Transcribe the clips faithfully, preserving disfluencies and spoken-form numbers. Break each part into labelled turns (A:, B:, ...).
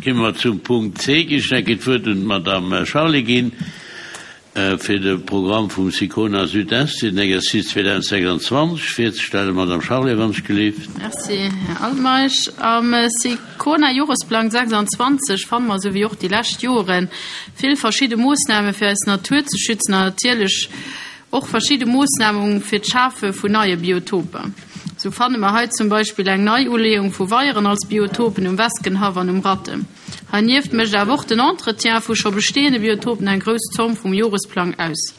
A: Komme mer zum Punkt C. Ech géif d'Wuert un d'Madame Charlé ginn fir de Programm vum SICONA Südest fir den Exercice zweedausendsechsundzwanzeg virzestellen. Madame Charlé, wann ech gelift.
B: Merci, Här Altmeisch. Am SICONA Joresplang sechsundzwanzeg fanne mer, esou wéi och déi lescht Joren, vill verschidde Moossname fir eis Natur ze schützen an natierlech och verschidde Moossname fir d'Schafe vun neie Biotoper. Sou fanne mer hei zum Beispill eng Neiuleeung vu Weieren als Biotopen um Weskenhaff an um Ratten. Heinieft mécht awer och den Entretien vu scho bestehende Biotopen eng grouss Zomm vum Joresplang aus.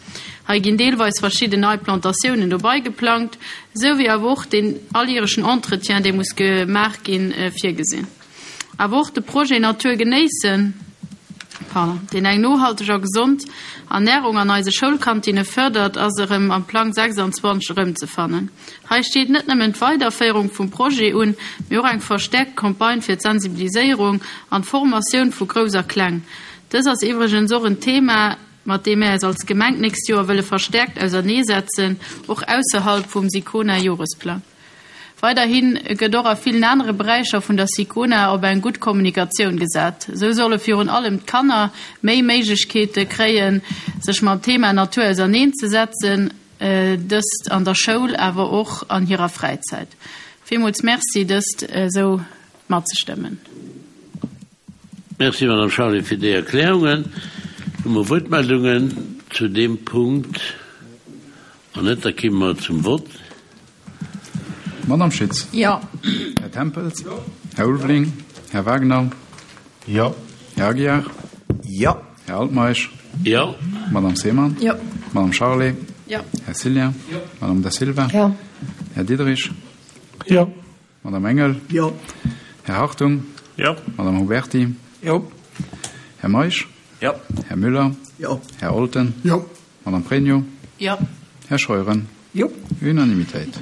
B: Hei ginn deelweis verschidden nei Plantatiounen dobäi geplangt, esou wéi awer och den alljärechen Entretien, dee muss gemaach ginn, virgesinn. Awer och de Projet Natur genéissen, pardon, deen eng nohalteg a gesond Ernärung an eise Schoulkantinne fërdert, ass erëm am Plang sechsundzwanzeg erëmzefannen. Hei steet net nëmmen d'Weiderféierung vum Projet un, mee och eng verstäerkt Campagne fir d'Sensibiliséierung an d'Formatioun vu Grouss a Kleng. Dës ass iwwregens och en Thema, mat deem mir eis als Gemeng d'nächst Joer wëlle verstäerkt auserneesetzen, och ausserhalb vum SICONA-Joresplang. Weiderhi gëtt och a villen anere Beräicher vun der SICONA op eng gutt Kommunikatioun gesat. Esou solle virun allem d'Kanner méi Méiglechkeete kréien, sech mam Thema Natur auserneenzesetzen, dëst an der Schoul, awer och an hirer Fräizäit. Villmools Merci, dëst esou matzestëmmen.
A: Merci, Madame Charlé, fir déi Erklärungen. Hu mer Wuertmeldungen zu deem Punkt? Wann net, da komme mer zum Vott.
C: Madame Schütz.
B: Jo.
C: Här Tempels. Jo. Här Ulveling. Här Wagner.
D: Jo.
C: Här Aguiar.
D: Jo.
C: Här Altmeisch.
A: Jo.
C: Madame Seemann.
B: Jo.
C: Madame Charlé.
B: Jo.
C: Här Cillien.
D: Jo.
C: Madame Da Silva.
E: Jo.
C: Här Diderich.
D: Jo.
C: Madame Engel.
D: Jo.
C: Här Hartung.
D: Jo.
C: Madame Huberti.
D: Jo.
C: Här Meisch.
D: Jo.
C: Här Müller.
D: Jo.
C: Här Olten.
D: Jo.
C: Madame Pregno.
B: Jo.
C: Här Scheuren.
D: Jo.
C: Unanimitéit.